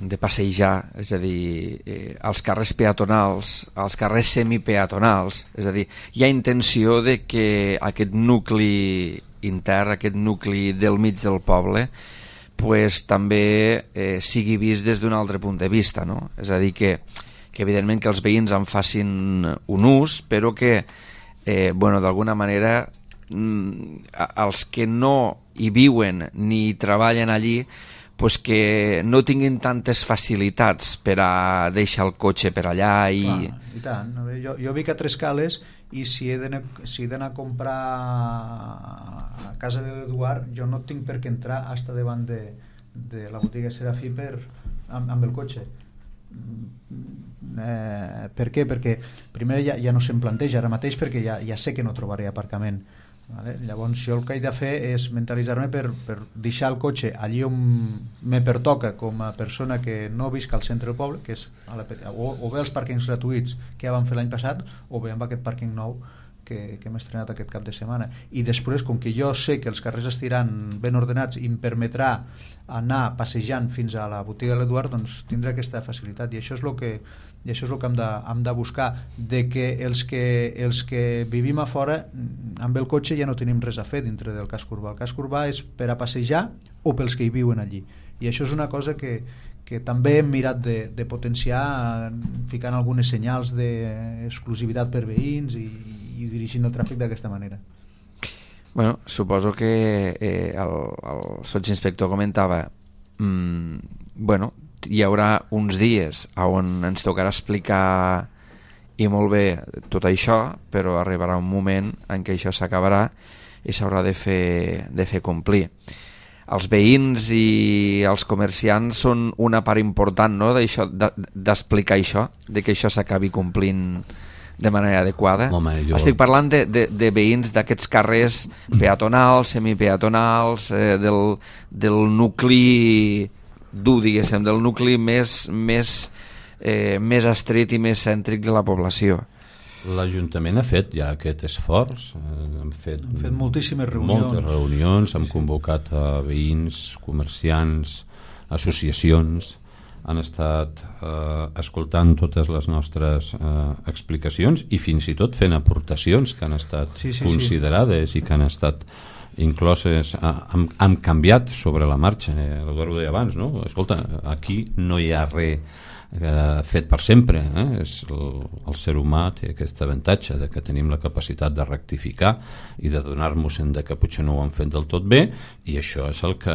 Speaker 1: de passejar, és a dir, eh, als carrers peatonals, als carrers semipeatonals, és a dir, hi ha intenció de que aquest nucli intern, aquest nucli del mig del poble, pues, també eh, sigui vist des d'un altre punt de vista, no? És a dir, que, que evidentment que els veïns en facin un ús, però que eh, bueno, d'alguna manera els que no hi viuen ni treballen allí, pues que no tinguin tantes facilitats per a deixar el cotxe per allà i...
Speaker 2: Clar, i tant. A veure, jo, jo vic a Trescales i si he d'anar si a comprar a casa de l'Eduard, jo no tinc per què entrar hasta davant de, de la botiga Serafí per, amb, amb el cotxe. Eh, per què? Perquè primer ja, ja no se'm planteja ara mateix, perquè ja, ja sé que no trobaré aparcament. Vale? Llavors jo el que he de fer és mentalitzar-me per, per deixar el cotxe allí on me pertoca com a persona que no visc al centre del poble, que és a la, o, o bé els pàrquings gratuïts que ja vam fer l'any passat, o bé amb aquest pàrquing nou que, que hem estrenat aquest cap de setmana. I després, com que jo sé que els carrers estiran ben ordenats i em permetrà anar passejant fins a la botiga de l'Eduard, doncs tindré aquesta facilitat, i això és el que, i això és el que hem de, hem de buscar, de que els, que els que vivim a fora amb el cotxe ja no tenim res a fer dintre del casc urbà. El casc urbà és per a passejar o pels que hi viuen allí, i això és una cosa que, que també hem mirat de, de potenciar, ficant algunes senyals d'exclusivitat per veïns i, i dirigint el tràfic d'aquesta manera.
Speaker 1: Bueno, suposo que eh, el, el sotsinspector comentava mmm, bueno, hi haurà uns dies on ens tocarà explicar i molt bé tot això, però arribarà un moment en què això s'acabarà i s'haurà de fer, de fer complir. Els veïns i els comerciants són una part important, no?, d'això, d'explicar això, de que això s'acabi complint de manera adequada.
Speaker 3: Home, jo...
Speaker 1: Estic parlant de, de, de veïns d'aquests carrers peatonals, semipeatonals, eh, del, del nucli dur, diguéssim, del nucli més, més, eh, més estret i més cèntric de la població.
Speaker 3: L'Ajuntament ha fet ja aquest esforç, hem fet,
Speaker 2: hem fet moltíssimes reunions,
Speaker 3: moltes reunions, hem convocat a veïns, comerciants, associacions, han estat eh, escoltant totes les nostres eh, explicacions i fins i tot fent aportacions que han estat sí, sí, considerades sí. i que han estat incloses, han, han canviat sobre la marxa. L'Eduard ho deia abans, no? Escolta, aquí no hi ha res eh, fet per sempre, eh? És el, el ser humà té aquest avantatge de que tenim la capacitat de rectificar i de donar-nos de que potser no ho han fet del tot bé, i això és el que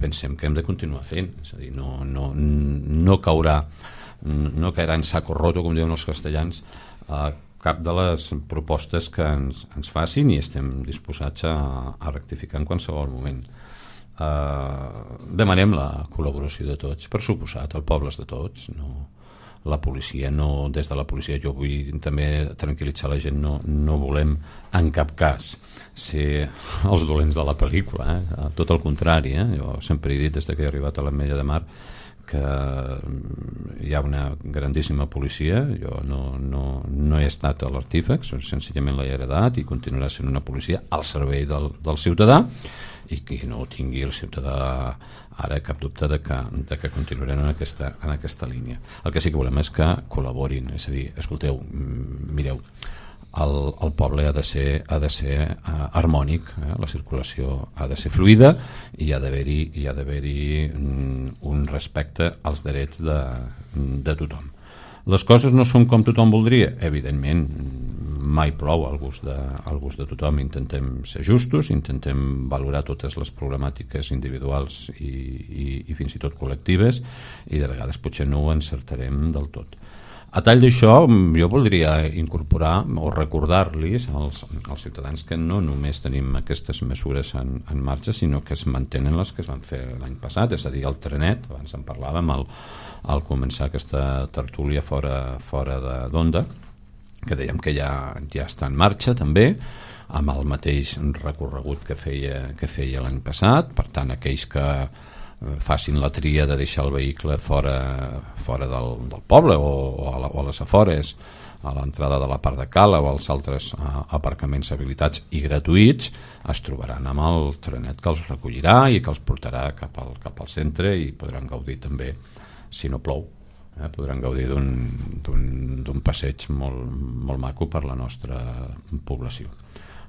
Speaker 3: pensem que hem de continuar fent. És a dir, no, no, no caurà no caurà en saco roto, com diuen els castellans, eh, cap de les propostes que ens, ens facin, i estem disposats a, a rectificar en qualsevol moment. Uh, demanem la col·laboració de tots, per suposat, el poble és de tots, no, la policia no, des de la policia jo vull també tranquil·litzar la gent, no, no volem en cap cas ser els dolents de la pel·lícula, eh? Tot el contrari, eh? Jo sempre he dit des que he arribat a l'Ametlla de Mar que hi ha una grandíssima policia, jo no, no, no he estat a l'artífex, senzillament l'he heredat i continuarà sent una policia al servei del, del ciutadà, i que no tingui el ciutadà ara cap dubte de que, de que continuarem en aquesta, en aquesta línia. El que sí que volem és que col·laborin, és a dir, escolteu, mireu, el, el poble ha de ser, ha de ser uh, harmònic, eh? La circulació ha de ser fluida i hi ha d'haver-hi hi ha d'haver-hi um, un respecte als drets de, de tothom. Les coses no són com tothom voldria, evidentment, mai plou al gust de, al gust de tothom. Intentem ser justos, intentem valorar totes les problemàtiques individuals i, i, i fins i tot col·lectives, i de vegades potser no ho encertarem del tot. A tall d'això, jo voldria incorporar o recordar-los als, als ciutadans que no només tenim aquestes mesures en, en marxa, sinó que es mantenen les que es van fer l'any passat, és a dir, el trenet, abans en parlàvem al, al començar aquesta tertúlia fora, fora d'Onda, que dèiem que ja, ja està en marxa també, amb el mateix recorregut que feia, que feia l'any passat. Per tant, aquells que facin la tria de deixar el vehicle fora, fora del, del poble o, o, a la, o a les afores, a l'entrada de la part de cala o als altres uh, aparcaments habilitats i gratuïts, es trobaran amb el trenet que els recollirà i que els portarà cap al, cap al centre, i podran gaudir també, si no plou, eh, podran gaudir d'un, d'un, d'un passeig molt, molt maco per la nostra població.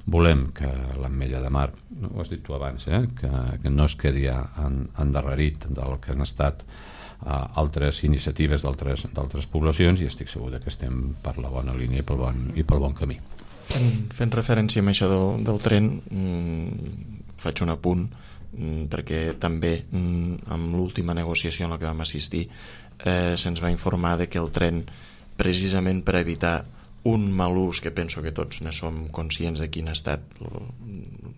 Speaker 3: Volem que l'Ametlla de Mar, ho has dit tu abans, eh, que, que no es quedi en, endarrerit del que han estat uh, altres iniciatives d'altres d'altres poblacions, i estic segur que estem per la bona línia i pel bon, i pel bon camí.
Speaker 5: Fent, fent referència a això del, del tren, mmm, faig un apunt, mmm, perquè també mmm, amb l'última negociació en la que vam assistir eh, se'ns va informar de que el tren, precisament per evitar un mal ús, que penso que tots ne som conscients de quin ha estat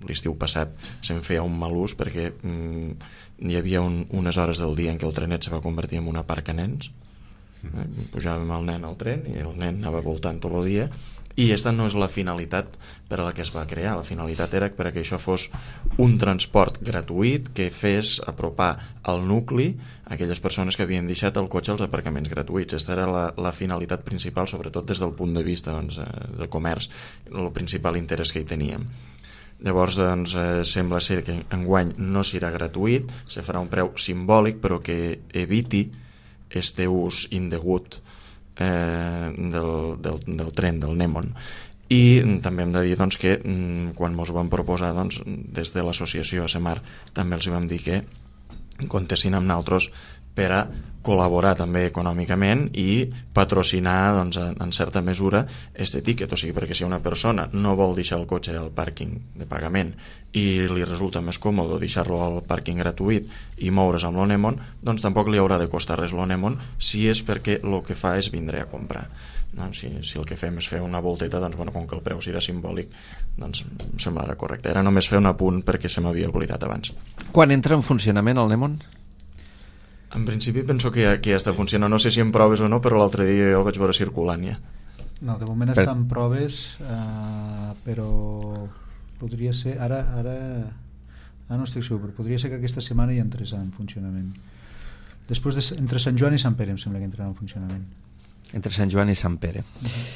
Speaker 5: l'estiu passat, se'n feia un mal ús perquè mm, hi havia un, unes hores del dia en què el trenet se va convertir en una parca nens, eh? Pujàvem el nen al tren i el nen anava voltant tot el dia, i aquesta no és la finalitat per a la que es va crear. La finalitat era perquè això fos un transport gratuït que fes apropar al nucli aquelles persones que havien deixat el cotxe als aparcaments gratuïts. Aquesta era la, la finalitat principal, sobretot des del punt de vista doncs, de comerç, el principal interès que hi teníem. Llavors doncs, eh, sembla ser que enguany no serà gratuït, se farà un preu simbòlic però que eviti este ús indegut eh, del, del, del tren, del Nemon. I també hem de dir doncs, que quan ens ho vam proposar doncs, des de l'associació ASEMAR també els vam dir que comptessin amb nosaltres per a col·laborar també econòmicament i patrocinar doncs, en certa mesura aquest tiquet, o sigui, perquè si una persona no vol deixar el cotxe al pàrquing de pagament i li resulta més còmode deixar-lo al pàrquing gratuït i moure's amb l'Onemon, doncs tampoc li haurà de costar res l'Onemon si és perquè el que fa és vindre a comprar. No? Si, si el que fem és fer una volteta, doncs, bueno, com que el preu serà simbòlic, doncs em semblarà correcte. Era només fer un apunt perquè se m'havia oblidat abans.
Speaker 1: Quan entra en funcionament el Nemon?
Speaker 5: En principi penso que ja, que ja està funcionant. No sé si en proves o no, però l'altre dia jo el vaig veure circulant ja.
Speaker 2: No, de moment per... està en proves, eh, però podria ser... Ara, ara, ara no estic segur, però podria ser que aquesta setmana ja entrés en funcionament. Després, de, entre Sant Joan i Sant Pere, em sembla que entrarà en funcionament. Entre
Speaker 1: Sant Joan i Sant Pere. Uh-huh.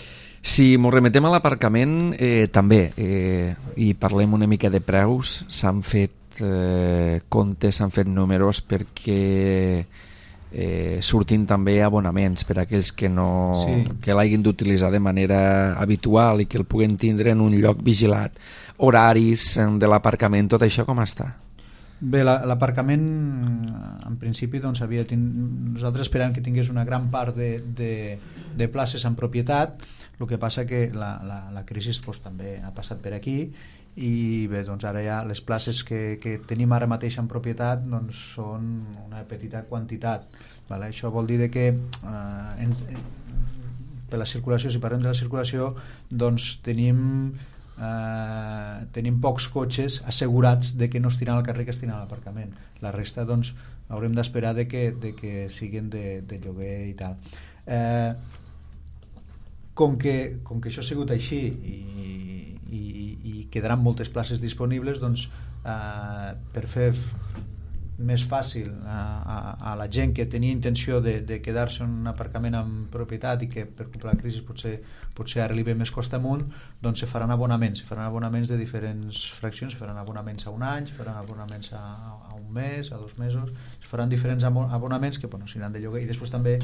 Speaker 1: Si m'ho remetem a l'aparcament, eh, també, eh, i parlem una mica de preus, s'han fet eh, comptes, s'han fet números perquè eh, surtin també abonaments per a aquells que, no, sí. que l'hagin d'utilitzar de manera habitual i que el puguen tindre en un lloc vigilat. Horaris de l'aparcament, tot això com està?
Speaker 2: Bé, l'aparcament en principi doncs, havia tin... nosaltres esperàvem que tingués una gran part de, de, de places en propietat, el que passa que la, la, la crisi doncs, també ha passat per aquí i bé, doncs ara ja les places que, que tenim ara mateix en propietat doncs, són una petita quantitat, vale? Això vol dir que eh, en, per la circulació, si parlem de la circulació, doncs tenim Uh, tenim pocs cotxes assegurats de que no estiran al carrer, que estiran a l'aparcament. La resta doncs haurem d'esperar de que, de que siguin de, de lloguer i tal. Uh, com, que, com que això ha sigut així i, i, i quedaran moltes places disponibles, doncs uh, per fer més fàcil a, a, a la gent que tenia intenció de, de quedar-se en un aparcament en propietat i que per culpa de la crisi potser, potser ara li ve més costa amunt, doncs se faran abonaments, se faran abonaments de diferents fraccions, se faran abonaments a un any, se faran abonaments a, a un mes, a dos mesos, se faran diferents abonaments que bueno, seran de lloguer, i després també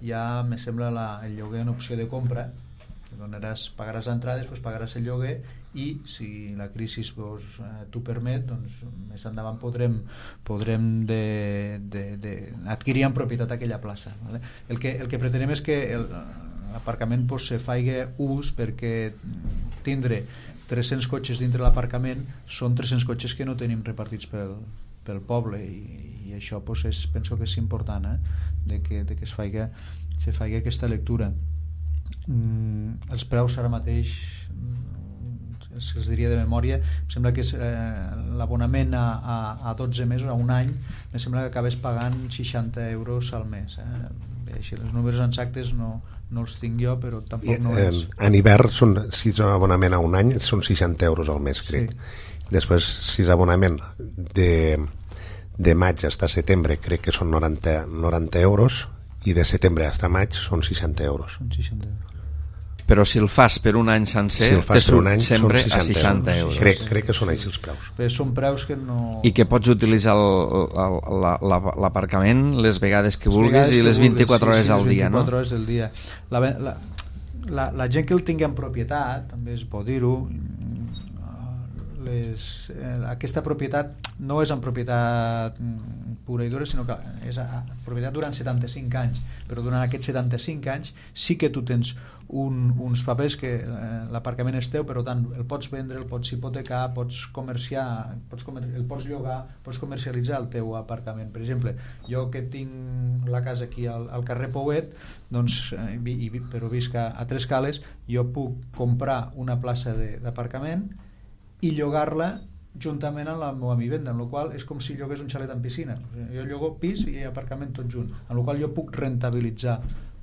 Speaker 2: ja me sembla la, el lloguer en opció de compra, que donaràs, pagaràs l'entrada, després pagaràs el lloguer i si la crisi pues, eh, t'ho permet, doncs més endavant podrem, podrem de, de, de adquirir en propietat aquella plaça. Vale? El, que, el que pretenem és que l'aparcament pues, se faci ús, perquè tindre tres-cents cotxes dintre l'aparcament són tres-cents cotxes que no tenim repartits pel, pel poble i, i això pues, és, penso que és important eh? de que, de que es faci, se faci aquesta lectura. Mm, els preus ara mateix els, els diria de memòria, em sembla que és, eh, l'abonament a, a, a dotze mesos, a un any, em sembla que acabes pagant seixanta euros al mes eh? Bé, així, els números exactes no, no els tinc jo, però tampoc no
Speaker 4: eh,
Speaker 2: és.
Speaker 4: En hivern, són, si és un abonament a un any, són seixanta euros al mes, crec. Sí. Després, si és abonament de, de maig fins a setembre, crec que són noranta, noranta euros, i de setembre fins a maig són seixanta euros.
Speaker 2: Són seixanta euros.
Speaker 1: Però si el fas per un any sencer,
Speaker 4: si el fas per un any,
Speaker 1: sempre
Speaker 4: seixanta
Speaker 1: a seixanta euros.
Speaker 4: Crec, crec que són així els preus.
Speaker 2: Bé, són preus que no...
Speaker 1: I que pots utilitzar l'aparcament les vegades que
Speaker 2: les
Speaker 1: vulguis
Speaker 2: vegades
Speaker 1: i les vint-i-quatre
Speaker 2: vulguis,
Speaker 1: hores
Speaker 2: sí, sí,
Speaker 1: al dia, no?
Speaker 2: vint-i-quatre hores al dia. La, la, la, la gent que el tingui en propietat, també es pot dir-ho, les, eh, aquesta propietat no és en propietat pura i dura, sinó que és a, a propietat durant setanta-cinc anys, però durant aquests setanta-cinc anys sí que tu tens un, uns papers que eh, l'aparcament és teu, però tant el pots vendre, el pots hipotecar, pots comerciar, pots comer, el pots llogar, pots comercialitzar el teu aparcament. Per exemple, jo que tinc la casa aquí al, al carrer Pouet, doncs, eh, i, però visc a, a Tres Cales, jo puc comprar una plaça d'aparcament i llogar-la juntament amb la meva vivenda, en la qual és com si llogués un xalet amb piscina. O sigui, jo llogo pis i aparcament tot junt, en la qual jo puc rentabilitzar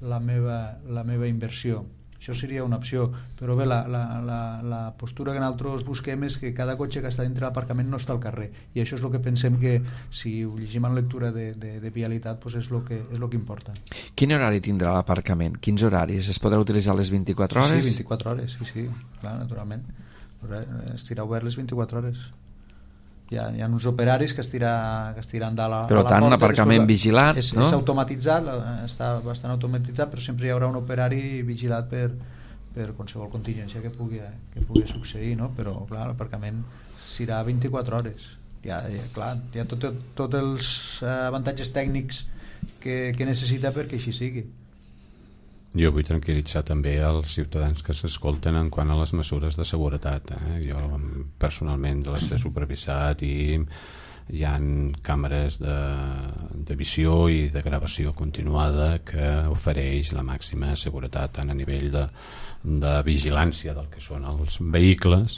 Speaker 2: la meva, la meva inversió. això seria una opció, però bé, la, la, la, la postura que nosaltres busquem és que cada cotxe que està dintre l'aparcament no està al carrer, i això és el que pensem que si ho llegim en lectura de, de, de vialitat pues és el que, és el que importa.
Speaker 1: Quin horari tindrà l'aparcament? Quins horaris? Es podrà utilitzar les vint-i-quatre hores?
Speaker 2: Sí, vint-i-quatre hores, sí, sí, clar, naturalment. Estirà obert les vint-i-quatre hores. Hi ha, hi ha uns operaris que estiran que estiran dalt a,
Speaker 1: però
Speaker 2: a la
Speaker 1: tant,
Speaker 2: porta.
Speaker 1: un aparcament
Speaker 2: Després,
Speaker 1: vigilat,
Speaker 2: és,
Speaker 1: no?
Speaker 2: És automatitzat, està bastant automatitzat, però sempre hi haurà un operari vigilat per, per qualsevol contingència que pugui, que pugui succeir, no? Però clar, l'aparcament serà vint-i-quatre hores. Hi ha, hi ha, clar, hi ha tots tot els avantatges tècnics que, que necessita perquè així sigui.
Speaker 3: Jo vull tranquil·litzar també els ciutadans que s'escolten en quant a les mesures de seguretat. Eh? Jo personalment les he supervisat i hi ha càmeres de, de visió i de gravació continuada que ofereix la màxima seguretat tant a nivell de, de vigilància del que són els vehicles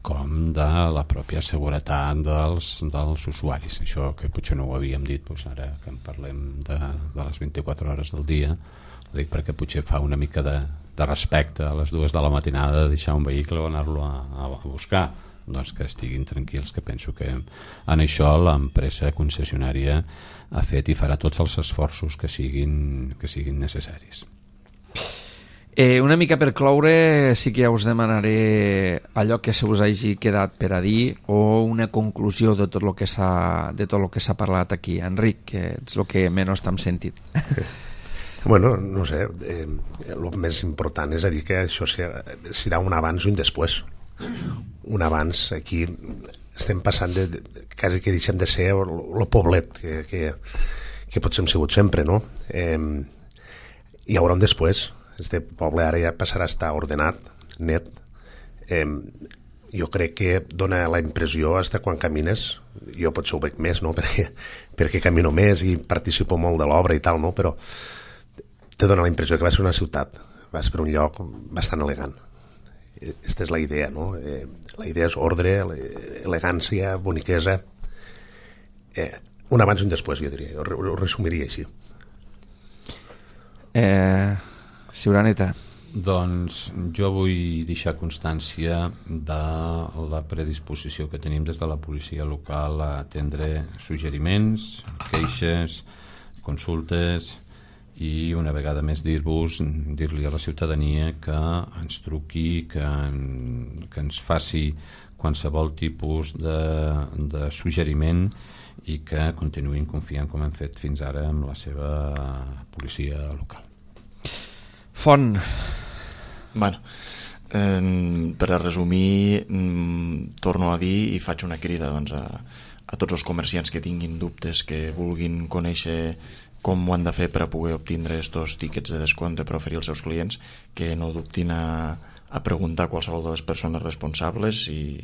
Speaker 3: com de la pròpia seguretat dels, dels usuaris. Això que potser no ho havíem dit, doncs ara que en parlem de, de les vint-i-quatre hores del dia, ho dic perquè potser fa una mica de, de respecte a les dues de la matinada de deixar un vehicle o anar-lo a, a buscar, doncs que estiguin tranquils, que penso que en això l'empresa concessionària ha fet i farà tots els esforços que siguin, que siguin necessaris.
Speaker 1: Eh, una mica per cloure, sí que ja us demanaré allò que se us hagi quedat per a dir o una conclusió de tot el que s'ha de tot el que s'ha parlat aquí. Enric, que ets el que menys t'hem sentit.
Speaker 4: Bueno, no sé, eh, el més important és a dir que això serà un abans i un després. Un abans, aquí estem passant de, de quasi que deixem de ser el poblet que, que, que potser hem sigut sempre, no? Eh, hi haurà un després. Este poble ara ja passarà a estar ordenat, net. Eh, jo crec que dona la impressió, hasta quan camines, jo potser ho veig més, no? perquè, perquè camino més i participo molt de l'obra i tal, no? Però te dona la impressió que va ser una ciutat, vas per un lloc bastant elegant. Aquesta és la idea, no? Eh, la idea és ordre, elegància, boniquesa. Eh, un abans i un després, jo diria, ho, ho resumiria així.
Speaker 1: Eh, Siuraneta.
Speaker 3: Doncs jo vull deixar constància de la predisposició que tenim des de la policia local a atendre suggeriments, queixes, consultes, i una vegada més dir-vos, dir-li a la ciutadania que ens truqui, que, en, que ens faci qualsevol tipus de, de suggeriment i que continuïn confiant com hem fet fins ara amb la seva policia local.
Speaker 1: Font.
Speaker 5: Bueno, eh, per a resumir, mm, torno a dir i faig una crida doncs, a, a tots els comerciants que tinguin dubtes, que vulguin conèixer com ho han de fer per a poder obtindre estos tíquets de descompte per oferir als seus clients, que no dubtin a, a preguntar a qualsevol de les persones responsables i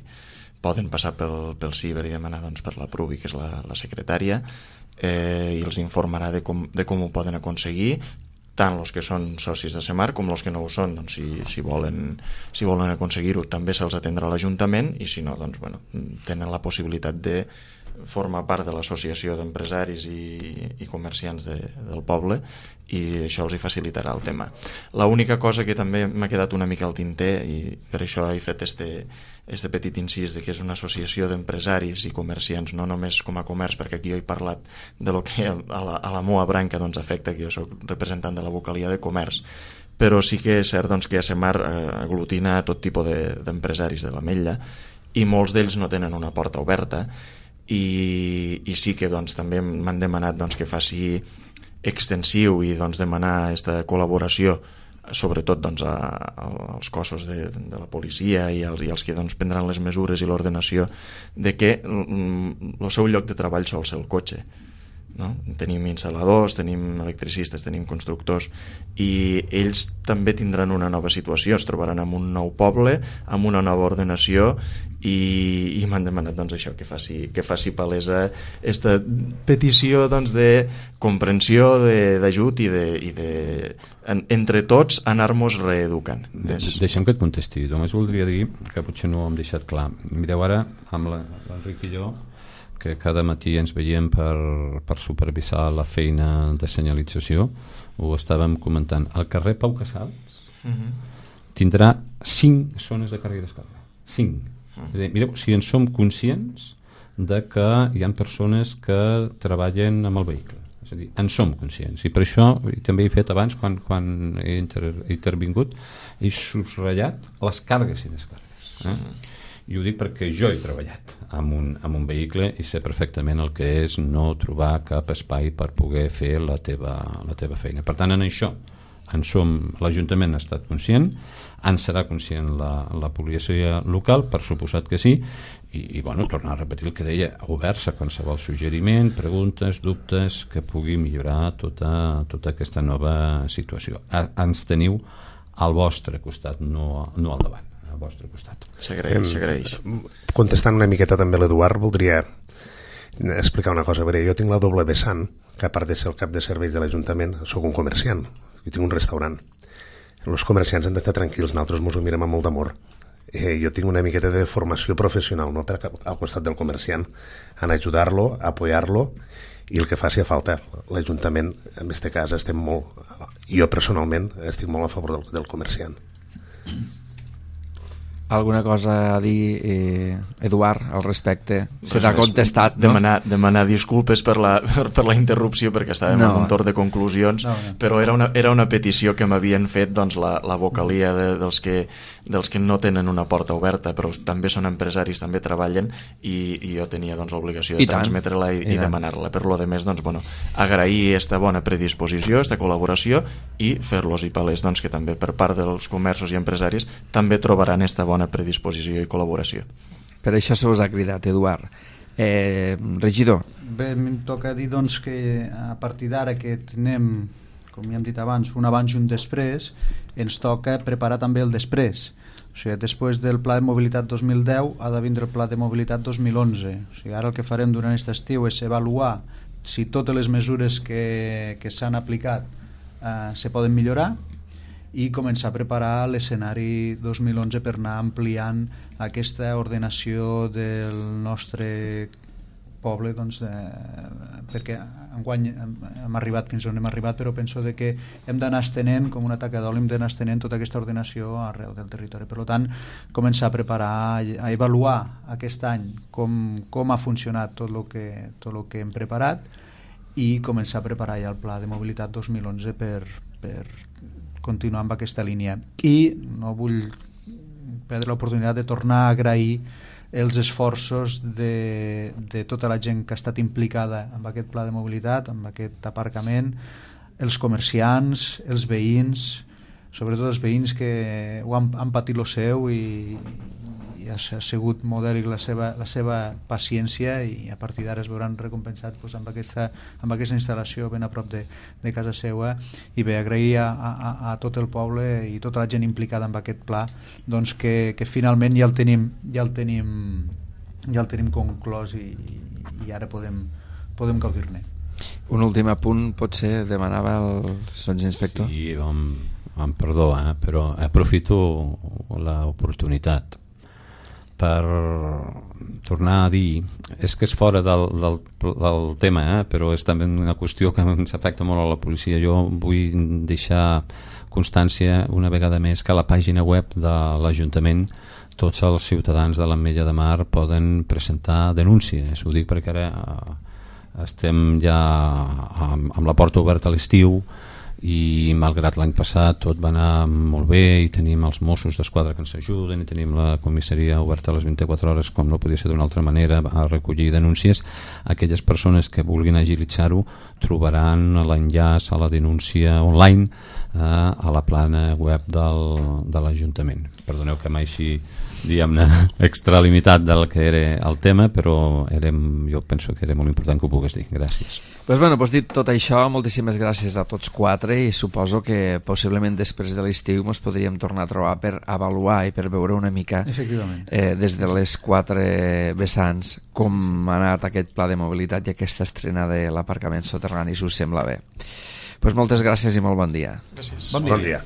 Speaker 5: poden passar pel, pel ciber i demanar doncs, per la Prubi, que és la, la secretària, eh, i els informarà de com, de com ho poden aconseguir, tant els que són socis de Semar com els que no ho són. Doncs, si, si volen, si volen aconseguir-ho també se'ls atendrà a l'Ajuntament, i si no, doncs, bueno, tenen la possibilitat de forma part de l'associació d'empresaris i, i comerciants de, del poble, i això els hi facilitarà el tema. L'única cosa que també m'ha quedat una mica al tinter, i per això he fet este, este petit incís de que és una associació d'empresaris i comerciants, no només com a comerç, perquè aquí jo he parlat de lo que a la, a la meua branca doncs, afecta, que jo soc representant de la vocalia de comerç, però sí que és cert doncs, que a Semar eh, aglutina tot tipus de, d'empresaris de l'Ametlla, i molts d'ells no tenen una porta oberta, i, i sí que doncs, també m'han demanat doncs, que faci extensiu i doncs, demanar aquesta col·laboració sobretot doncs, a, a, als cossos de, de la policia i els, i els que doncs, prendran les mesures i l'ordenació de que el seu lloc de treball sol ser el cotxe, no? Tenim instal·ladors, tenim electricistes, tenim constructors, i ells també tindran una nova situació, es trobaran en un nou poble, amb una nova ordenació, i, i m'han demanat doncs, això, que faci, que faci palesa aquesta petició doncs, de comprensió, d'ajut i, de, i de, en, entre tots anar-nos reeducant. Des...
Speaker 3: Deixa'm que et contesti, només voldria dir que potser no ho hem deixat clar. Mireu ara, amb l'Enric i jo, que cada matí ens veiem per, per supervisar la feina de senyalització, ho estàvem comentant. Al carrer Pau Casals, uh-huh. tindrà cinc zones de càrrega i descàrrega. Cinc. És a dir, mireu, si en som conscients de que hi ha persones que treballen amb el vehicle. És a dir, en som conscients. I per això, i també he fet abans, quan, quan he, inter, he intervingut, he subratllat les càrregues i descàrregues. Eh? I ho dic perquè jo he treballat amb un, amb un vehicle i sé perfectament el que és no trobar cap espai per poder fer la teva, la teva feina. Per tant, en això en som, l'Ajuntament ha estat conscient, en serà conscient la, la policia local, per suposat que sí, i, i bueno, tornar a repetir el que deia, oberts a qualsevol suggeriment, preguntes, dubtes, que pugui millorar tota, tota aquesta nova situació. A, ens teniu al vostre costat, no, no al davant, al vostre costat.
Speaker 5: S'agraeix, s'agraeix.
Speaker 4: Contestant una miqueta també l'Eduard, voldria explicar una cosa. Veure, jo tinc la doble vessant, que a part de ser el cap de serveis de l'Ajuntament, sóc un comerciant, i tinc un restaurant. Els comerciants han d'estar tranquils, nosaltres ens ho mirem amb molt d'amor. Eh, jo tinc una miqueta de formació professional, no? Per al costat del comerciant, en ajudar-lo, apoyar-lo, i el que faci a falta. L'Ajuntament, en aquest cas, estem molt... Jo personalment estic molt a favor del, del comerciant.
Speaker 1: Alguna cosa a dir, eh, Eduard, al respecte? Se t'ha contestat, no?
Speaker 5: Demanar, demanar disculpes per la, per, per la interrupció, perquè estàvem no. en un torn de conclusions, no, no. però era una, era una petició que m'havien fet doncs, la, la vocalia de, dels, que, dels que no tenen una porta oberta, però també són empresaris, també treballen, i, i jo tenia doncs, l'obligació de transmetre-la i, i, i demanar-la. Per lo de més, doncs, bueno, agrair aquesta bona predisposició, aquesta col·laboració, i fer-los i palès doncs, que també per part dels comerços i empresaris també trobaran aquesta bona bona predisposició i col·laboració.
Speaker 1: Per això se us ha cridat, Eduard. Eh, regidor.
Speaker 2: Bé, em toca dir doncs, que a partir d'ara que tenem, com ja hem dit abans, un abans i un després, ens toca preparar també el després. O sigui, després del Pla de Mobilitat dos mil deu ha de vindre el Pla de Mobilitat dos mil onze. O sigui, ara el que farem durant aquest estiu és avaluar si totes les mesures que, que s'han aplicat eh, se poden millorar, i començar a preparar l'escenari dos mil onze per anar ampliant aquesta ordenació del nostre poble, doncs, eh, perquè enguany hem, hem arribat fins on hem arribat, però penso de que hem d'anar estenent, com una taca d'oli, hem d'anar estenent tota aquesta ordenació arreu del territori. Per tant, començar a preparar, a avaluar aquest any com, com ha funcionat tot el que, tot el que hem preparat, i començar a preparar ja el Pla de Mobilitat dos mil onze per, per continuar amb aquesta línia. I no vull perdre l'oportunitat de tornar a agrair els esforços de, de tota la gent que ha estat implicada en aquest pla de mobilitat, en aquest aparcament, els comerciants, els veïns, sobretot els veïns que ho han, han patit lo seu i, i ha sigut modèlic la seva, la seva paciència, i a partir d'ara es veuran recompensats doncs, amb, aquesta, amb aquesta instal·lació ben a prop de, de casa seva. I bé, agrair a, a, a tot el poble i tota la gent implicada en aquest pla, doncs que, que finalment ja el tenim ja el tenim, ja el tenim conclòs, i, i ara podem, podem gaudir-ne.
Speaker 1: Un últim apunt, potser demanava el sotsinspector.
Speaker 3: Sí, amb, amb perdó, eh, però aprofito l'oportunitat per tornar a dir, és que és fora del, del, del tema, eh? Però és també una qüestió que ens afecta molt a la policia. Jo vull deixar constància una vegada més que a la pàgina web de l'Ajuntament tots els ciutadans de l'Ametlla de Mar poden presentar denúncies. Ho dic perquè ara estem ja amb, amb la porta oberta a l'estiu, i malgrat l'any passat tot va anar molt bé i tenim els Mossos d'Esquadra que ens ajuden i tenim la comissaria oberta a les vint-i-quatre hores, com no podia ser d'una altra manera, a recollir denúncies, aquelles persones que vulguin agilitzar-ho trobaran l'enllaç a la denúncia online eh, a la plana web del, de l'Ajuntament. Perdoneu que mai així diguem-ne extralimitat del que era el tema, però érem, jo penso que era molt important que ho pogués dir. Gràcies.
Speaker 1: Pues bueno, pues dit tot això, moltíssimes gràcies a tots quatre, i suposo que possiblement després de l'estiu ens podríem tornar a trobar per avaluar i per veure una mica eh, des de les quatre vessants com ha anat aquest pla de mobilitat i aquesta estrena de l'aparcament soterrani, si us sembla bé. Pues moltes gràcies i molt bon dia.
Speaker 5: Gràcies.
Speaker 4: Bon dia. Bon dia.